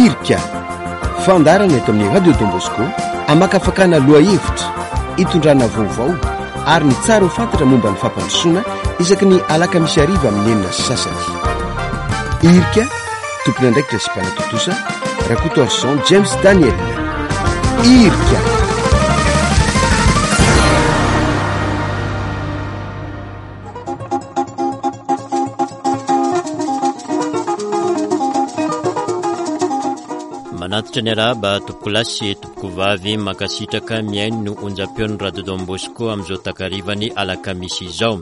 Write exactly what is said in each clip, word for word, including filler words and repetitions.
Irika, fandaharana eto amin'ny Radio Don Bosco, amakafakana lohahevitra, itondrana vaovao ary ny tsara ho fantatra momba ny fampandrosoana isaky ny alakamisy hariva amin'ny enina sy sasany. Irika, tompon'andraikitra sy mpanatontosa, Rakotoarison James Daniel. Irika. Manatitra ny arahaba tompokolahy sy tompokovavy, mankasitraka mihaino ny onjam-peon'ny Radio Don Bosco amin'izao takarivany alakamisy izao.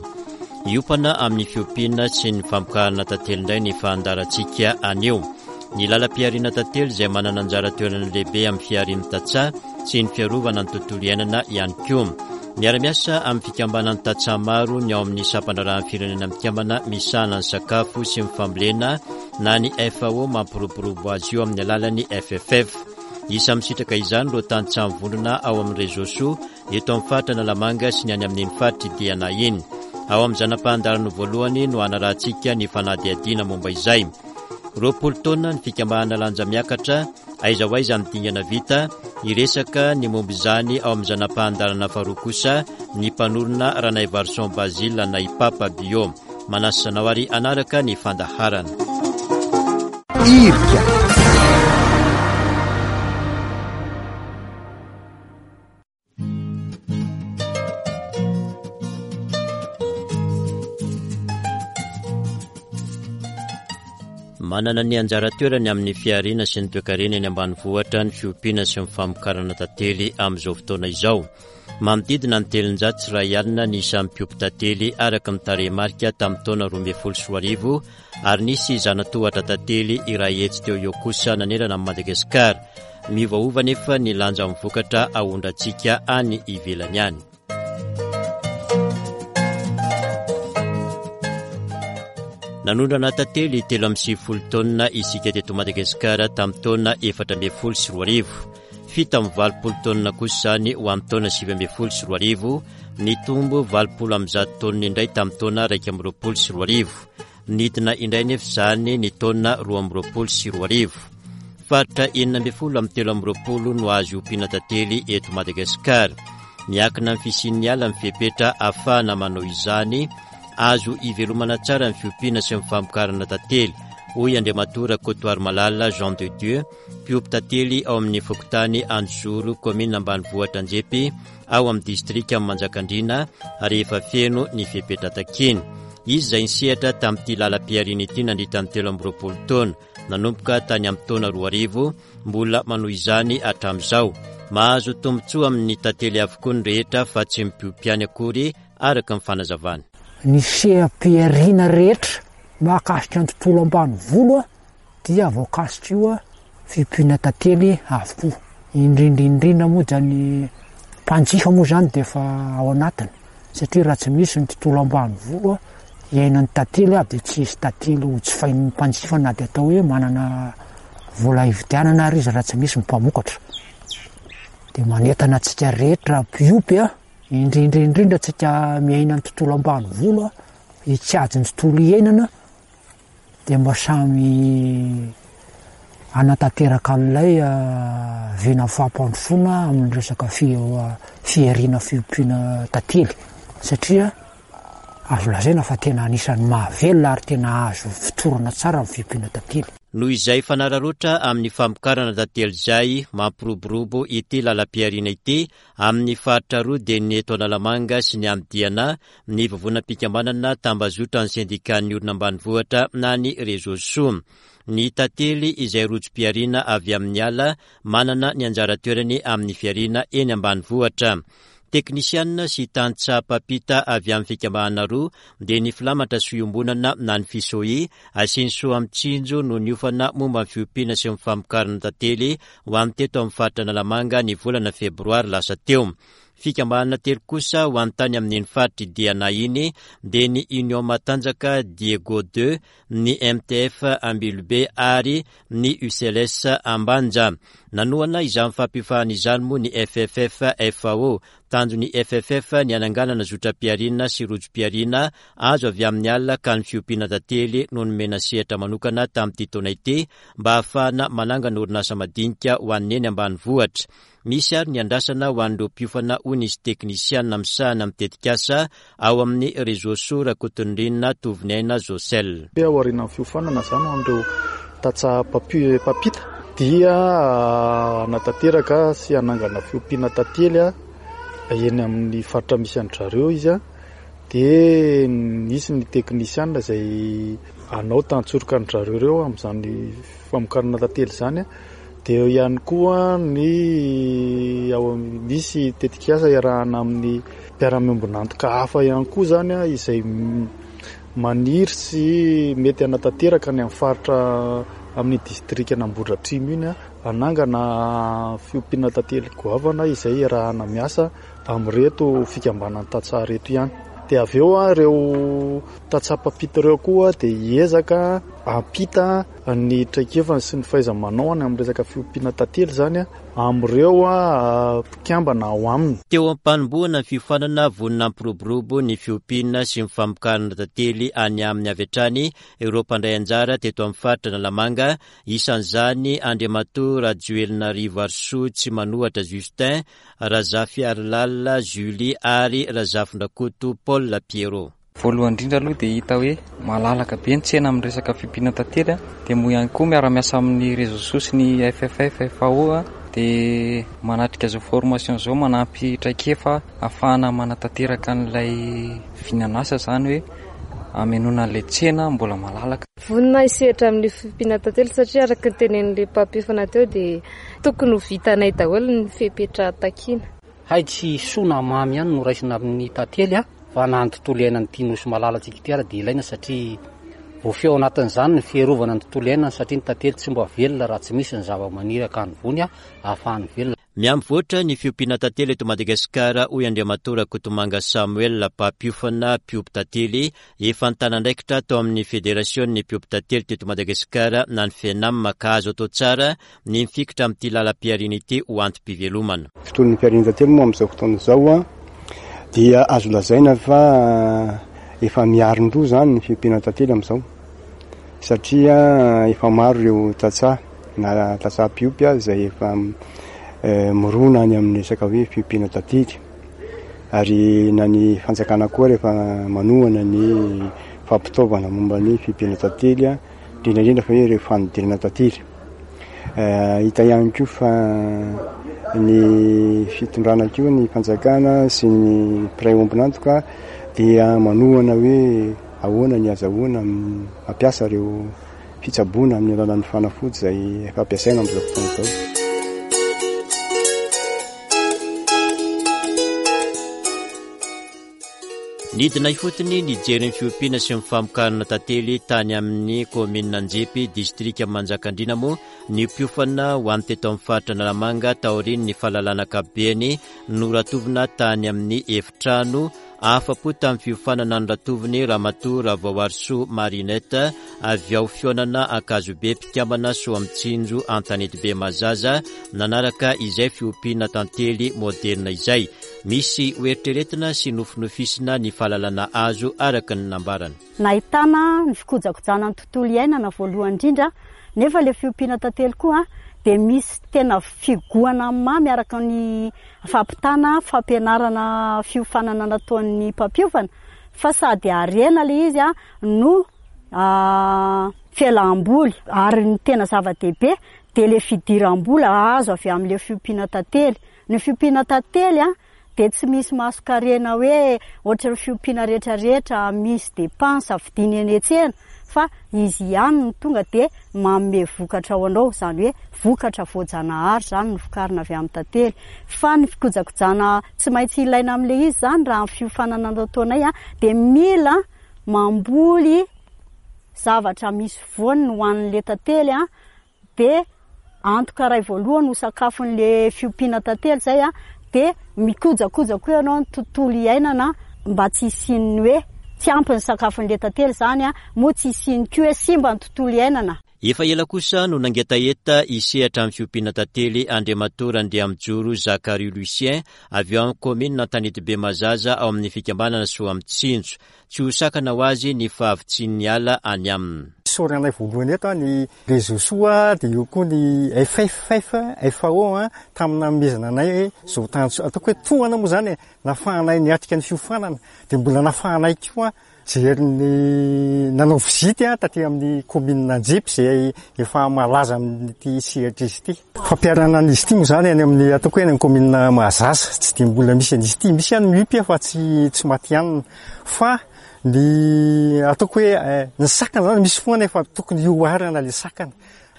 Hiompana amin'ny fiompiana sy ny famokarana tantely indray ny fandaharantsika anio. Ny lalam-pihariana tantely izay manana anjara toerana lehibe amin'ny fiharian'ny tantsaha sy ny fiarovana ny tontolo iainana ihany koa. Miara-miasa amin'ny fikambanan'ny tantsaha maro ny ao amin'ny sampandraharahan'ny firenena mikambana misahana ny sakafo sy ny fambolena na ny F A O mampiroborobo azy io amin'ny alalan'ny F F F. Isa misitraka izany ireo tantsaha mivondrona ao amin'ny réseau soa eto amin'ny faritra Analamanga sy ny any amin'iny faritra Diana iny. Ao amin'ny zana-pahandaharana voalohany no hanarahantsika ny fanadihadiana momba izay. Roapolo taona ny fikambanana lanja miakatra, aiza ho aiza ny dingana vita, hiresaka ny momba izany ao amin'ny zana-pahandaharana faharoa kosa ny mpanorina Ranaivarison Basile na i Papa Bio. Manasa anao ary hanaraka ny fandaharana. Irika. Manana ny anjara toerany amin'ny fihariana sy ny toekarena eny ambanivohitra ny fiompiana sy ny famokarana tantely amin'izao fotoana izao. Manodidina ny telonjato sy iray alina ny isan'ny mpiompy tantely araka ny tarehimarika tamin'ny taona roa ambin'ny folo sy roa arivo ary nisy zanatohatra tantely iray hetsy teo eo kosa nanerana an'i Madagasikara. Miovaova nefa ny lanjan'ny vokatra ahondrantsika any ivelany any. Nanondrana tantely telo amby sivifolo taonina isika teto Madagasikara tamin'ny taona efatra ambin'ny folo sy roa arivo. Fito amby valopolo taonina kosa izany ho amin'ny taona sivy ambin'ny folo sy roa arivo, nitombo valopolo amby zato taonina indray tamin'ny taona iraika amby roapolo sy roa arivo. Nidina indray nefa izany ny taona roa amby roapolo sy roa arivo. Faritra enina ambin'ny folo amin'ny telo amby roapolo no azo ompiana tantely eto Madagasikara. Miankina amin'ny fisian'ny ala ny fepetra ahafahana manao izany, azo ivelomana tsara ny fiompiana sy ny famokarana tantely, hoy Andriamatoa Rakotoarimalala Jean de Dieu, mpiompy tantely ao amin'ny fokontany Anjozoro, kaominina ambanivohitra Anjepy, ao amin'ny distrika Manjakandriana, rehefa feno ny fepetra takiana. Izy izay nisehatra tamin'ity lalam-pihariana ity nandritra ny telo amby roapolo taona, nanomboka tany amin'ny taona roa arivo, mbola manohy izany hatramin'izao. Mahazo tombontsoa amin'ny tantely avokoa ny rehetra fa tsy mpiompy ihany akory araka ny fanazavana. Ny seha-pihariana rehetra mahakasika ny tontolo ambanivolo dia voakasika io fiompiana tantely avokoa. Indrindra indrindra moa dia ny mpanjifa moa izany dia efa ao anatiny, satria raha tsy misy ny tontolo ambanivolo iainan'ny tantely aby dia tsy hisy tantely ho jifain'ny mpanjifa na dia atao hoe manana vola hividianana ary izy raha tsy misy ny mpamokatra. Dia manentana antsika rehetra mpiompy a, indrindra indrindra antsika miaina ny tontolo ambanivolo a, hikajy ny tontolo iainana dia mba samy hanatanteraka an'ilay vina fampandrosoana amin'ny resaka fi-, fihariana fiompiana tantely, satria azo lazaina fa tena anisan'ny mahavelona ary tena azo fotorana tsara ny fiompiana tantely. Noho izay fanararaotra amin'ny famokarana tantely izay mampiroborobo ity lalam-pihariana ity amin'ny faritra roa dia ny eto Analamanga sy ny any Diana, ny vovonam-pikambanana tambazotra ny sendikan'ny olona ambanivohitra na ny réseau soa. Ny tantely izay rojom-pihariana avy amin'ny ala manana ny anjara toerany amin'ny fihariana eny ambanivohitra. Teknisianina sy tantsaha mpampita avy amin'ny fikambanana roa dia ny filamatra sy iombonana na ny FISOI asiany soa amin'ny tsinjo no niofana momba ny fiompiana sy ny famokarana tantely ho an'ny teto amin'ny faritra Analamanga ny volana febroary lasa teo. Fikambanana telo kosa ho an'ny tany amin'iny faritra Diana iny dia ny Union Matanjaka Diego deux, ny M T F Ambilobe ary ny U C L S Ambanja. Nanohana izany fampiofanana izany moa ny F F F F A O Tanjon'ny F F F ny hananganana zotram-pihariana sy rojom-pihariana azo avy amin'ny ala, ka ny fiompiana tantely no nomena sehatra manokana tamin'ity taona ity mba hahafahana manangana orinasa madinika ho an'ny eny ambanivohitra. Misy ary ny andrasana ho an'ireo mpiofana, hoy nisy teknisiana misahana amin'ny tetikasa ao amin'ny Réseau Soa, Rakotonirina Tovoniaina Josel. Aorian'ny fiofanana zany ho an'ireo tantsaha mpampita dia hanatanteraka sy hanangana fiompiana tantely a eny amin'ny faritra misy an-dry izy a dia nisy ny teknisiana izay hanao tantsoroka an-dry zareo ireo amin'izany famokarana tantely izany a dia eo ihany koa ny ao misy tetikasa iarahana amin'ny mpiara-miombon'antoka hafa ihany koa zany a izay maniry sy mety hanatanteraka ny amin'ny faritra amin'ny distrika Ambohidratrimo iny a hanangana fiompiana tantely goavana izay iarahana miasa amin'ireto fikambanan'ny tantsaha reto ihany. Dia avy eo a ireo tantsaha mpampita ireo koa dia hiezaka hampita ny traikefany sy ny fahaiza-manao any amin'ny resaka fiompiana tantely zany a amin'ireo a mpikambana ao aminy. Teo am-panombohana ny fiofanana, vonona hampiroborobo ny fiompiana sy ny famokarana tantely any aminy avy hatrany ireo mpandray anjara teto amin'ny faritra Analamanga. Isan'izany Andriamatoa Rajoelina Rivoarisoa Tsy Manohatra Justin, Razafiarilala Julie ary Razafindrakoto Paul Pierrot. Voalohany indrindra aloha dia hita hoe malalaka be ny tsena amin'ny resaka fiompiana tantely a dia moa ihany koa miara-miasa amin'ny Réseau Soa sy ny F F F F A O a dia manatrika izao formation izao, manampy traikefa ahafahana manatanteraka an'ilay vinanasa, zany hoe amenoana an'ilay tsena mbola malalaka. Vonona hisehatra amin'ny fiompiana tantely satria araka ny tenenin'ilay mpampiofana teo dia tokony ho vitanay daholo ny fepetra takiana. Hay tsy soa na mamy ihany no raisina amin'ny tantely a fa na ny tontolo iainana ity nosy malalantsika ity ara dia ilaina, satria voafehy ao anatin'izany ny fiarovana ny tontolo iainana, satria ny tantely tsy mba velona raha tsy misy ny zava-maniry akany vony a ahafahany velona. Miamivoatra ny fiompiana tantely eto Madagasikara, hoy Andriamatoa Rakotomanga Samuel, mpampiofana mpiompy tantely efa nitana andraikitra tao amin'ny Fédération ny mpiompy tantely teto Madagasikara na ny FENAM, ka azo atao tsara ny mifikitra amin'ity lalam-pihariana ity ho antom-pivelomana. Tontolon'ny fihariana tantely moa amin'izao fotoana izao a dia azo lazaina fa efa miarin-doha zany ny fiompiana tantely amin'izao, satria efa maro ireo tantsaha na tantsaha mpiompy a izay efa mirona any amin'ny resaka hoe fiompiana tantely, ary na ny fanjakana koa rehefa manohana ny fampitaovana momba ny fiompiana tantely a indrindra indrindra fa hoe ireo fanodinana tantely. Hita ihany koa fa ny fitondrana koa, ny fanjakana sy ny mpiray ombon'antoka dia manohana hoe ahoana ny azahoana mampiasa ireo fitsaboana amin'ny alalan'ny fanafody izay efa ampiasaina amin'izao fotoana izao. Nidina ifotony nijery ny fiompiana sy ny famokarana tantely tany amin'ny kaominina Anjepy, distrika Manjakandriana moa ny mpiofana ho an'ny teto amin'ny faritra Analamanga, taorian'ny fahalalana ankapobeny noratovina tany amin'ny efitrano. Afa-po tamin'ny fiofanana ny ratoviny Ramatoa Ravaoarisoa Marinette avy ao Fionana Ankazobe, mpikambana Soa Mitsinjo Antanetibe Mazaza, nanaraka izay fiompiana tantely moderna izay. Misy hoeritreretina sy nofinofisina ny fahalalana azo, araka ny nambarany. Nahitana ny fikojakojana ny tontolo iainana voalohany indrindra, nefa le fiompiana tantely koa dia misy tena figohana mamy araka ny fampitana fampianarana fiofanana nataon'ny mpampiofana, fa sady arena le izy a no fialam-boly, ary ny tena zava-dehibe dia le fidiram-bola azo avy amin'le fiompiana tantely. Ny fiompiana tantely a dia tsy misy mason-karena hoe ohatra ny fiompiana rehetrarehetra misy dépense vidiny eny an-tsena, fa izy ihany no tonga dia manome vokatra ao anao, izany hoe vokatra voajanahary zany no vokarina avy amin'ny tantely. Fa ny fikojakojana tsy maintsy ilaina amin'le izy zany, raha amin'ny fiofanana nataonay a dia mila mamboly zavatra misy voany ho an'le tantely a dia antoka ray voalohany ho sakafon'le fiompiana tantely zay a dia mikojakoja koa ianao ny tontolo iainana mba tsy hisian'ny hoe tsy ampy ny sakafon'le tantely zany a moa tsy hisiany koa hoe simba ny tontolo iainana. Efa ela kosa no nangetaheta hisehatra amin'ny fiompiana tantely Andriamatoa Randriamijoro Zacharie Lucien avy ao amin'ny kaominina Antanetibe Mahazaza ao amin'ny fikambanana Soamitsinjo. Tsy ho sakana ho azy ny fahavitsian'ny ala any aminy. Isaoranay voalohany eto ny Réseau Soa dia eo koa ny F F F F A O tamin'ny nanomezana anay izao tanjo ataoko hoe tohana moa zany e, nafahanay niatrika ny fiofanana dia mbola nafahanay koa jery ny nanao visite taty amin'ny commune Anjipy izay efa malaza amin'ity sehatra izy ity. Fampiharana an'izy ity moa zany any amin'ny ataoko hoe any amin'ny commune Mahazaza tsy dia mbola misy an'izy ity, misy ihany miompy fa tsy tsy matihanina fa ny ataoko hoe ny sakana zany misy foana efa tokony hioharana le sakana.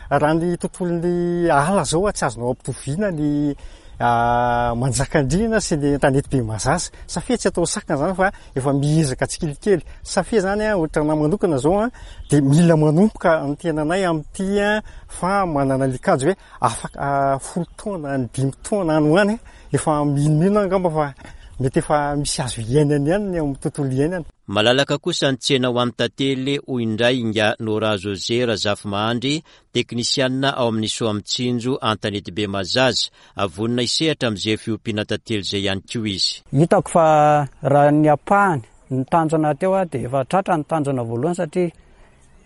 Raha ny tontolon'ny ala zao tsy azonao ampitoviana ny Manjakandriana sy ny Antanetibe Mahazaza safia tsy atao sakana zany fa efa miezaka tsikelikely safia zany a ohatra anahy manokana zao a dia mila manomboka ny tenanay amin'ity a fa manana le kajy hoe afaka folo taona ny dimy taona any ho any efa minomino angamba fa mety efa misy azo iainana ihany ny amin'ny tontolo iainana. Malalaka kosa ny tsena ho an'ny tantely hoy indray Inga Nora José Razafimahandry, teknisianina ao amin'ny Soamitsinjo Antanetibe Mahazaza. Vonona hisehatra amin'izay fiompiana tantely izay ihany koa izy. Hitako fa raha ny ampahany ny tanjona teo a dia efa tratra ny tanjona voalohany satria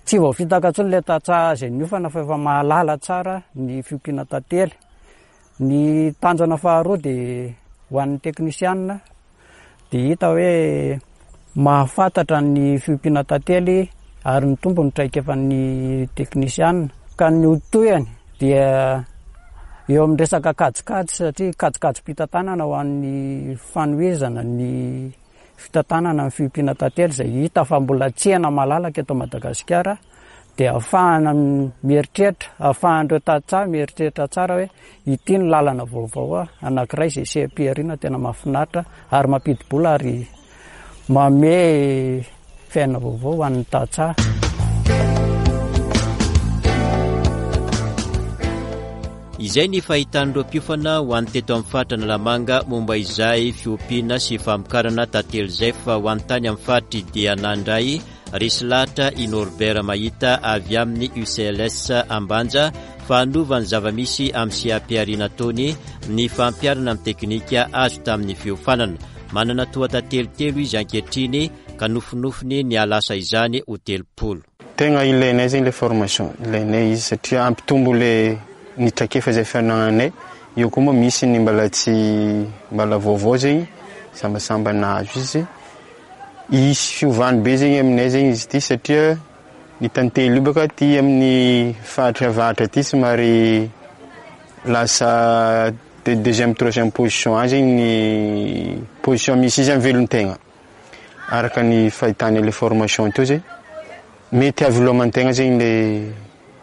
tsy voafitaka intsony ilay tantsaha izay niofana fa efa mahalala tsara ny fiompiana tantely. Ny tanjona faharoa dia ho an'ny teknisianina dia hita hoe mahafantatra ny fiompiana tantely ary ny tompo ny traikefan'ny teknisianina ka ny ho tohiny dia eo amin'ny resaka kajikajy satria kajikajim-pitantanana ho an'ny fanohizana ny fitantanana ny fiompiana tantely izay hita fa mbola tsena malalaka eto Madagasikara dia ahafahana mieritreritra ahafahan'ireo tantsaha mieritreritra tsara hoe ity ny lalana vaovao anankiray izay seha-pihariana tena mahafinaritra ary mampidi-bola ary manome fiainana vaovao ho an'ny tantsaha. Izay ny fahitan'ireo mpiofana ho an'ny teto amin'ny faritra Analamanga momba izay fiompiana sy famokarana tantely izay fa ho an'ny tany amin'ny faritry dia nandray resy lahatra i Norbert Mahita avy amin'ny U C L S Ambanja fa hanova ny zava-misy amin'ny seha-pihariana ataony ny fampiharana amin'ny teknika azo tamin'ny fiofanana. Manana toha-tantely telo izy ankehitriny ka nofinofiny ny hahalasa izany ho telopolo. Tegna ilainay zegny le formation, ilainay izy satria ampitombo le ny traikefa izay fianagnanay eo koa moa misy ny mbola tsy mbola vaovao zegny sambasamba nahazo izy isy fiovany be zegny aminay zegny izy ity satria ny tantely io baka ty amin'ny faritra avaratra aty somary lasa de deuxième, troisième position any zegny ny position misy izy amin'ny velon-tegna araka ny fahitana le formation teo zegny mety hahaveloman-tegna zegny le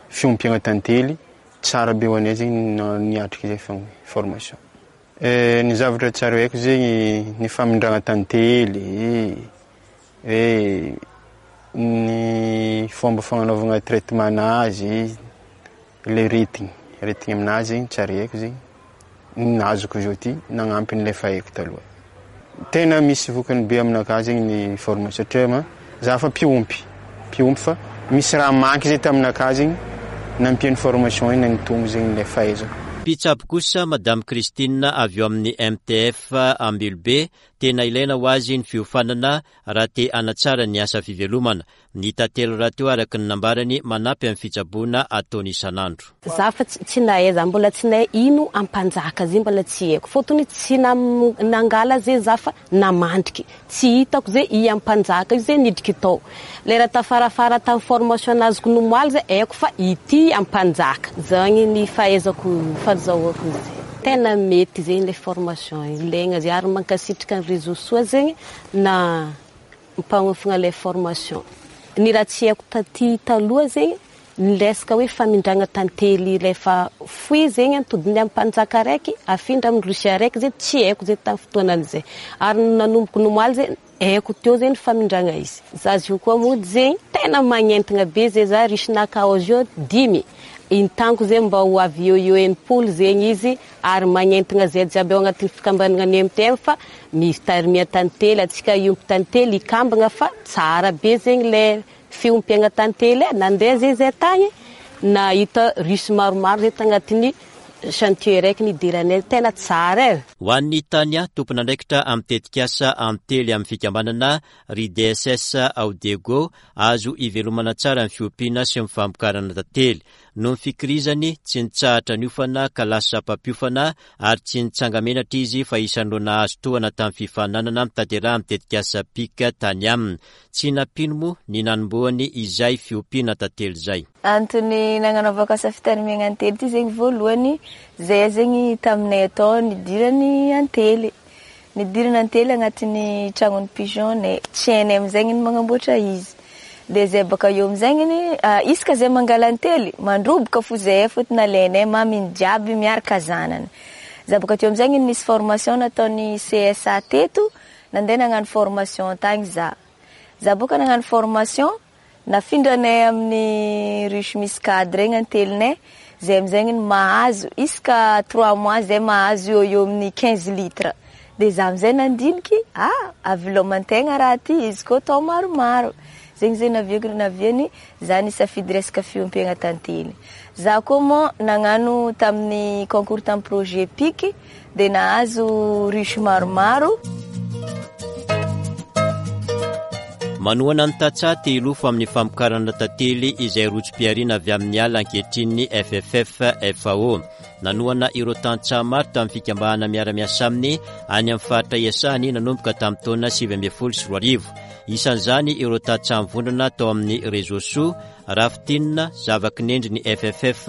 fiompiana tantely tsara be ho anay zegny niatrika zay formation. Ny zavatra tsara haiko zegny ny famindrana tantely hoe ny fomba fagnanaovana traitement anazy le aretigny aretigny aminazy zegny tsara haiko zegny nazoko zao ty nagnampy n'le fa haiko taloha. Tena misy vokany be aminakahy zegny ny formation satria ma za fa mpiompy mpiompy fa misy raha manky zay taminakahy zegny nampian'ny formation iny nanitombo zegny le fahaizako. Mpitsabo kosa Madame Christine avy eo amin'ny M T F Ambilobe, tena ilaina ho azy ny fiofanana raha te hanatsara ny asa fivelomana. Ny tantely rahateo araka ny nambarany manampy amin'ny fitsaboana ataony isan'andro. Za fa tsy nahay, za mbola tsy nahay ino ampanjaka zay mbola tsy haiko fôtony tsy nangala zay za fa namandriky tsy hitako zay i ampanjaka io zay nidriky tao lera tafarafara tamin'ny formation nazoko nomoaly zay haiko fa ity ampanjaka zany ny fahaizako fahazahoako izy. Tena mety zegny le formation ilaigna zay ary mankasitraka ny Réseau Soa zegny na mpagnofana le formation. Ny raha tsy haiko taty taloha zegny ny resaka hoe famindrana tantely rehefa foy zegny antodiny amin'ny mpanjaka raiky afindra amin'ny ruche araiky zay tsy haiko zay tamin'ny fotoanan'izay ary nanomboko nomoaly zay haiko teo zegny famindrana izy. Za io koa mody zegny tena magnentana be zay za ruche-naka ao zio dimy intaniko zay mba ho avy eo eo enimpolo zegny izy ary magnentana zay jiaby ao agnatin'ny fikambanana ny M T M fa mitarimia tantely atsika iompy tantely ikambana fa tsara be zegny le fiompiana tantely e nandeha zay zay tagny Nahita ruche maromaro zay tagnatin'ny chantier raiky nidiranay, tena tsara e. Ho an'ny Tania, tompon'andraikitra amin'ny tetikasa Antely amin'ny fikambanana R I D S S ao Diego, azo ivelomana tsara ny fiompiana sy ny famokarana tantely. Noho ny fikirizany, tsy nitsahatra niofana ka lasa mpampiofana ary tsy nitsanga-menatra izy fa isan'ireo nahazo tohana tamin'ny fifaninanana mitanteraha amin'ny tetikasa P I C tany aminy. Tsy nampino moa ny nanombohany izay fiompiana tantely izay. Antony nagnanaovako asa fitarimiagna antely ty zegny, voalohany zay zegny taminay atao nidirany antely, nidirana antely agnatin'ny tragnony pigeon-nay, tsy hainay amizay ny magnamboatra izy. De zay baka eo amizay isaka zay mangala antely mandroboka fo zay, fôtony alainay maminy jiaby miaraka zanany. Za baka teo amizay nisy formation nataony C S A teto, nandeha nagnano formation tagny za. Za boka nagnano formation, nafindranay amin'ny ruche misy cadre igny antelinay. Zay amizay ny mahazo isaka trois mois zay mahazo eo eo amin'ny quinze litres. De za amizay nandiniky, ah, aviloman-tegna raha ty izy koa atao maromaro zegny. Zay naviako naviany za nisafidy resaka fiompiagna tantely. Za koa moa nagnano tamin'ny concours tamin'ny projet P I C, de nahazo ruche maromaro. Manohana ny tantsaha te hilofo amin'ny famokarana tantely izay rojom-pihariana avy amin'ny ala ankehitriny F F F F A O. Nanohana ireo tantsaha maro tamin'ny fikambanana miara-miasa aminy any amin'ny faritra iasany nanomboka tamin'ny taona sivy ambin'ny folo sy roa arivo. Isan'izany ireo tantsaha mivondrona tao amin'ny Réseau Soa. Raha fintinina, zava-kinendry ny F F F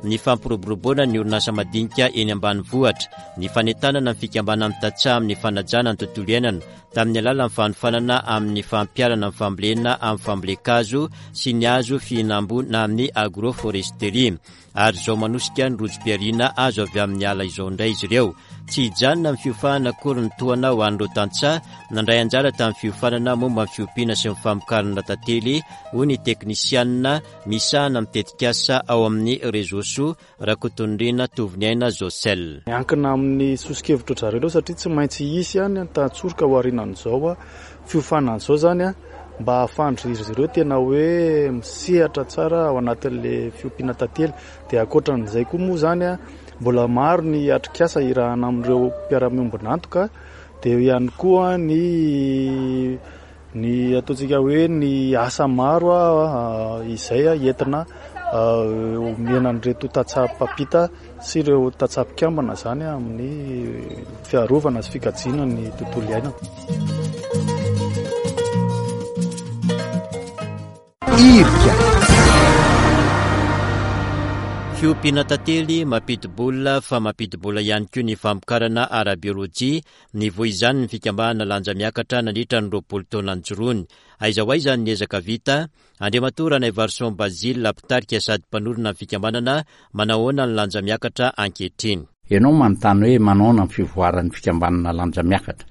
ny fampiroboroboana ny orinasa madinika eny ambanivohitra, ny fanentanana ny fikambanana amin'ny tantsaha amin'ny fanajana ny tontolo iainana tamin'ny alalan'ny fanofanana amin'ny fampiharana ny fambolena amin'ny fambolen-kazo sy ny hazo fihinam-boa amin'ny agroforesterie, ary izao manosika ny rojom-pihariana azo avy amin'ny ala izao indray izy ireo. Tsy hijanona amin'ny fiofanana akory ny tohana ho an'ireo tantsaha nandray anjara tamin'ny fiofanana momba ny fiompiana sy ny famokarana tantely, hoy ny teknisianina misahana amin'ny tetikasa ao amin'ny Réseau Soa, Rakotonirina Tovoniaina Josel. Miankina amin'ny soso-kevitra zareo aloha, satria tsy maintsy hisy ihany ny tantsoroka ho aorianan'izao a fiofanan'izao zany a mba hahafahan-dry ireo tena hoe misehatra tsara ao anatin'le fiompiana tantely. Dia ankoatran'izay koa moa zany a mbola maro ny atrikasa irahana amin'ireo mpiara-miombon'antoka, dia eo ihany koa ny ny ataontsika hoe ny asa maro a izay a entina omena an'ireto tantsaha mpampita sy ireo tantsaha mpikambana zany amin'ny fiarovana sy fikajiana ny tontolo iainana. Irika. Fiompiana tantely mampidi-bola fa mampidi-bola ihany koa ny famokarana ara-biolojia. Ny voa izany ny fikambanana Lanja Miakatra nandritra ny roapolo taona nijoroany. Aiza ho aiza ny ezaka vita? Andriamatoa Ranaivarison Bazile, mpitarika sady mpanorina ny fikambanana, manahoana ny Lanja Miakatra ankehitriny? Ianao manontany hoe manaona ny fivoaran'ny fikambanana Lanja Miakatra.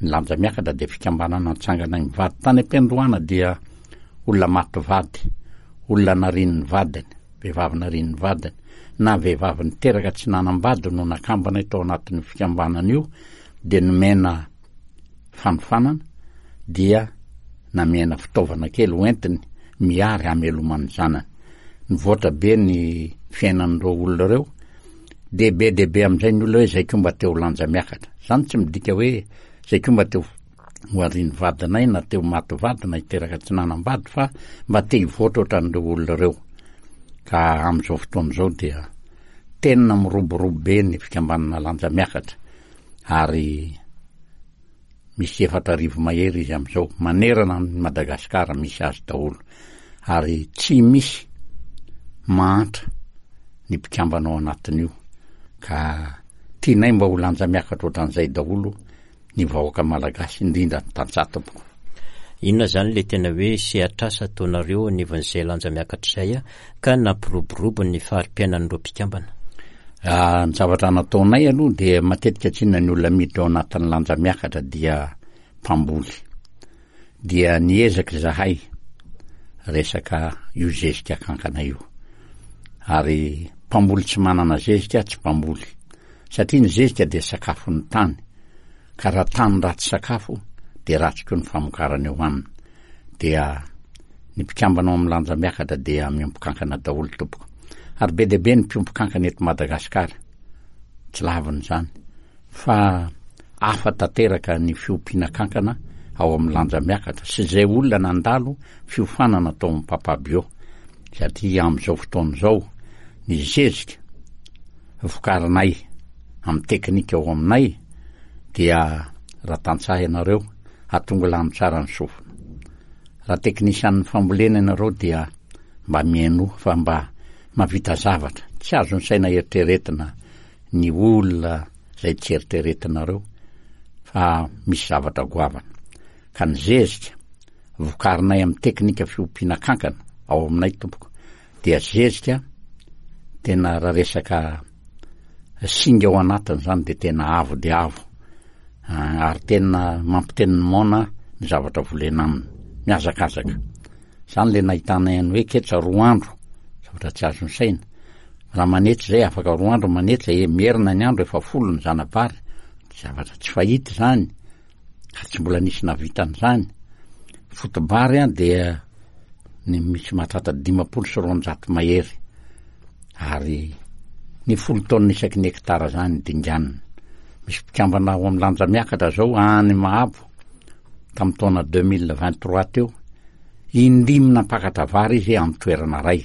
Ny Lanja Miakatra dia fikambanana nitsangana mivady. Tany am-piandohana dia olona maty vady, olona narian'ny vadiny, vehivavy narian'ny vadiny na vehivavy niteraka tsy nanambady no nakambana tao anatin'ny fikambanana io. De nomena fanofanana, dia namena fitaovana kely hoentiny miary hamelomany zanany. Nivoatra be ny fiainan'ireo olona ireo, de be de be am'izay ny olona hoe zay ko mba teo Lanja Miakatra zany. Tsy midika hoe zay ko mba teo ho arian'ny vadinay na teo maty vady na hiteraka tsy nanambady, fa mba te hivoatra ohatran'ireo olona ireo. Ka am'izao fotoana izao dia tena miroborobo be ny fikambanana Lanja Miakatra, ary misy efatra arivo mahery izy am'izao manerana ny Madagasikara, misy azy daholo, ary tsy misy mahantra ny mpikambana ao anatin'io. Ka tianay mba ho Lanja Miakatra ohatran'izay daholo ny vahoaka malagasy, indrindra ny tantsaha, tompoko. Inona zany le tena hoe sehatrasa ataonareo anivon'izay Lanja Miakatra izay a ka nampiroborobo ny fari-piainan'ireo mpikambana? Ny zavatra nataonay aloha dia matetika tsinona ny olona miditra ao anatin'ny Lanja Miakatra dia mpamboly, dia niezaka zahay resaka io zezika kankana io. Ary mpamboly tsy manana zezika tsy mpamboly, satria ny zezika dia sakafon'ny tany, ka raha tany ratsy sakafo de ratsy koa ny famokarana eo aminy. Dia ny mpikambana ao amin'ny Lanja Miakatra dia miompy kankana daholo, tompoko. Ary be dia be ny mpiompy kankana eto Madagasikara. Tsy lavina izany fa hafa tanteraka ny fiompiana kankana ao amin'ny lanja miakatra sy izay olona nandalo fiofanana tao amin'ny Papa Bio satria amin'izao fotoana izao ny zezika vokarinay amin'ny teknika ao aminay dia raha tantsaha ianareo atongilano tsara ny sofina. Raha teknisian'ny fambolena ianareo dia mba mihainoa fa mba mahavita zavatra tsy azon'ny saina eritreretina ny olona izay tsy eritreretinareo fa misy zavatra goavana. Ka ny zezika vokarinay amin'ny teknika fiompiana kankana ao aminay tompoko dia zezika tena raha resaka singa ao anatiny izany dia tena avo dia avo ary tena mampiteny ny moana ny zavatra volena aminy, mihazakazaka. Izany ilay nahitanay an'ny hoe ketsa roa andro, zavatra tsy azon'ny saina. Raha manetsa izay afaka roa andro manetsa, e, merina ny andro efa folo ny zana-bary, zavatra tsy fahita izany, ary tsy mbola nisy nahavita an'izany. Foto-bary an dia ny misy mahatratra dimampolo sy roanjato mahery, ary ny folo taonina isaky ny hektara izany dinganina. Misy mpikambana ao amin'ny lanja miakatra izao any Mahabo tamin'ny taona deux mille vingt trois teo, indimy nampakatra vary izy amin'ny toerana iray.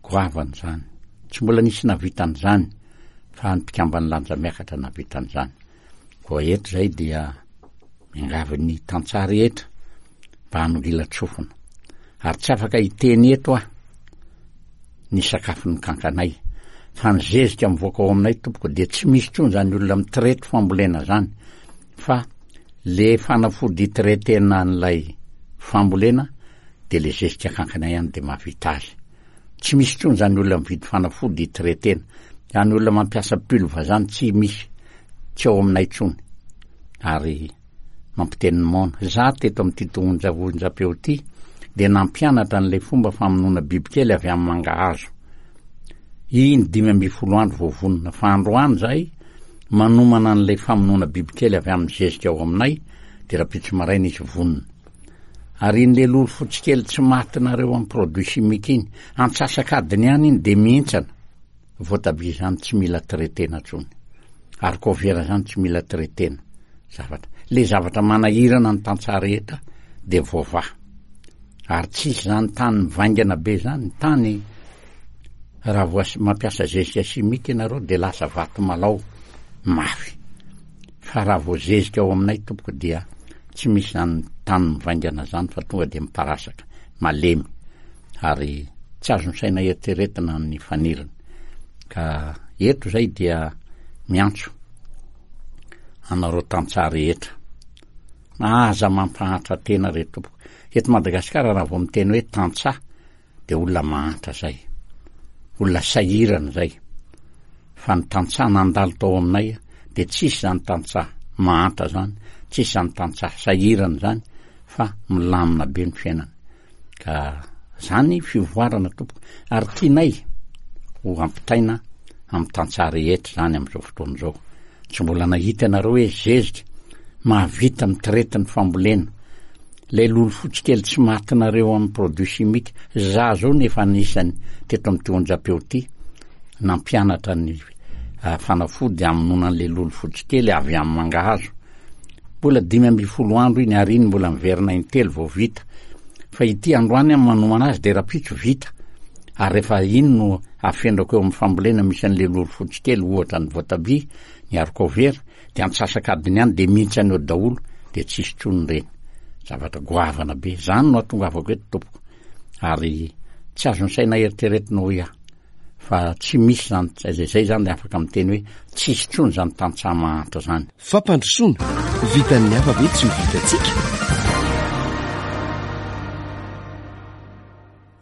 Goavana izany. Tsy mbola nisy nahavita an'izany fa ny mpikamban'ny lanja miakatra nahavita an'izany. Koa eto izay dia miangavy ny tantsaha rehetra mba hanongilan-tsofina. Ary tsy afaka hiteny eto aho ny sakafon'ny kankanay. Fa ny zezika mivoaka ao aminay tompoko dia tsy misy intsony izany olona mitraite fambolena izany fa le fanafody hitraitena an'ilay fambolena dia le zezika kankana ihany dia mahavita azy. Tsy misy intsony izany olona mividy fanafody hitraitena. Izany olona mampiasa pulve izany tsy misy, tsy ao aminay intsony. Ary mampiteny ny moana. Za teto amin'ity onja onjam-peo ity dia nampianatra an'ilay fomba famonoana bibikely avy amin'ny mangahazo. Iny dimy ambin'ny folo andro vao vonona. Fa androany zahay manomana an'ilay famonoana bibikely avy amin'ny zezika ao aminay dia rahampitso maraina izy vonona. Ary iny le lolo fotsy kely tsy matinareo amin'ny produit chimique iny, antsasak'adiny ihany iny dia mihintsana. Voatabia izany tsy mila traitena intsony. Ary kovera izany tsy mila traitena. Zavatra. Le zavatra manahirana ny tantsaha rehetra dia voavaha. Ary tsisy izany tany mivaingana be izany. Ny tany raha voa mampiasa zezika chimique ianareo dia lasa vato malao mafy. Fa raha vao zezika ao aminay tompoko dia tsy misy izany tany mivaingana izany fa tonga dia miparasaka, malemy. Ary tsy azon'ny saina eritreretina ny faniriny. Ka eto izay dia miantso anareo tantsaha rehetra. Aza mampahantra tena re tompoko. Eto Madagasikara raha vao miteny hoe tantsaha dia olona mahantra izay. Olona sahirana izay. Fa ny tantsaha nandalo tao aminay dia tsisy izany tantsaha mahantra izany, tsisy izany tantsaha sahirana izany fa milamina be ny fiainana. Ka zany fivoarana tompoko ary tianay ho ampitaina amin'ny tantsaha rehetra izany amin'izao fotoana izao. Tsy mbola nahita ianareo hoe zezika mahavita mitraite ny fambolena. Ilay lolo fotsy kely tsy matinareo amin'ny produit chimique, za zao no efa anisany teto amin'ity onjam-peo ity nampianatra ny fanafody hamonoana an'ilay lolo fotsy kely avy amin'ny mangahazo. Mbola dimy ambin'ny folo andro iny ary iny mbola miverina intelo vao vita. Fa ity androany aho manomana azy dia rahampitso vita. Ary rehefa iny no afendrako eo amin'ny fambolena misy an'ilay lolo fotsy kely ohatra ny voatabia, ny haricot vert, dia antsasak'adiny ihany dia mihintsana eo daholo dia tsisy intsony ireny. Zavatra goavana be. Izany no ahatongavako eto tompoko. Ary tsy azon'ny saina eritreretina hoy aho. Fa tsy misy izany, izay izay izany dia afaka miteny hoe tsisy intsony izany tantsaha mahantra izany. Fampandrosoana, vitan'ny hafa ve tsy ho vitantsika?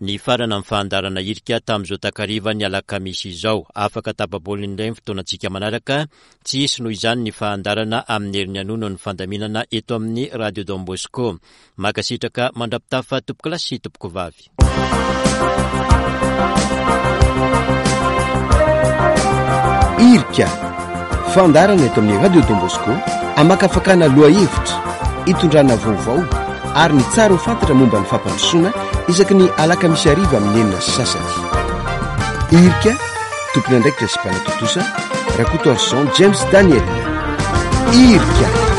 Nifarana ny fandaharana hirika tamin'izao takarivan'ny alakamisy izao. Afaka tapa-bolana indray ny fotoanantsika manaraka. Tsy hisy noho izany ny fandaharana amin'ny herin'ny anio noho ny fandaminana eto amin'ny Radio Don Bosco. Mankasitraka mandra-pitafa tompokolahy sy tompokovavy. Irika, fandaharana eto amin'ny Radio Don Bosco, amakafakana lohahevitra, itondrana vaovao ary ny tsara ho fantatra momba ny fampandrosoana isaky ny alakamisy hariva amin'ny enina sy sasany. Irika, tompon'andraikitra sy mpanatontosa, Rakotoarison James Daniel. Irika.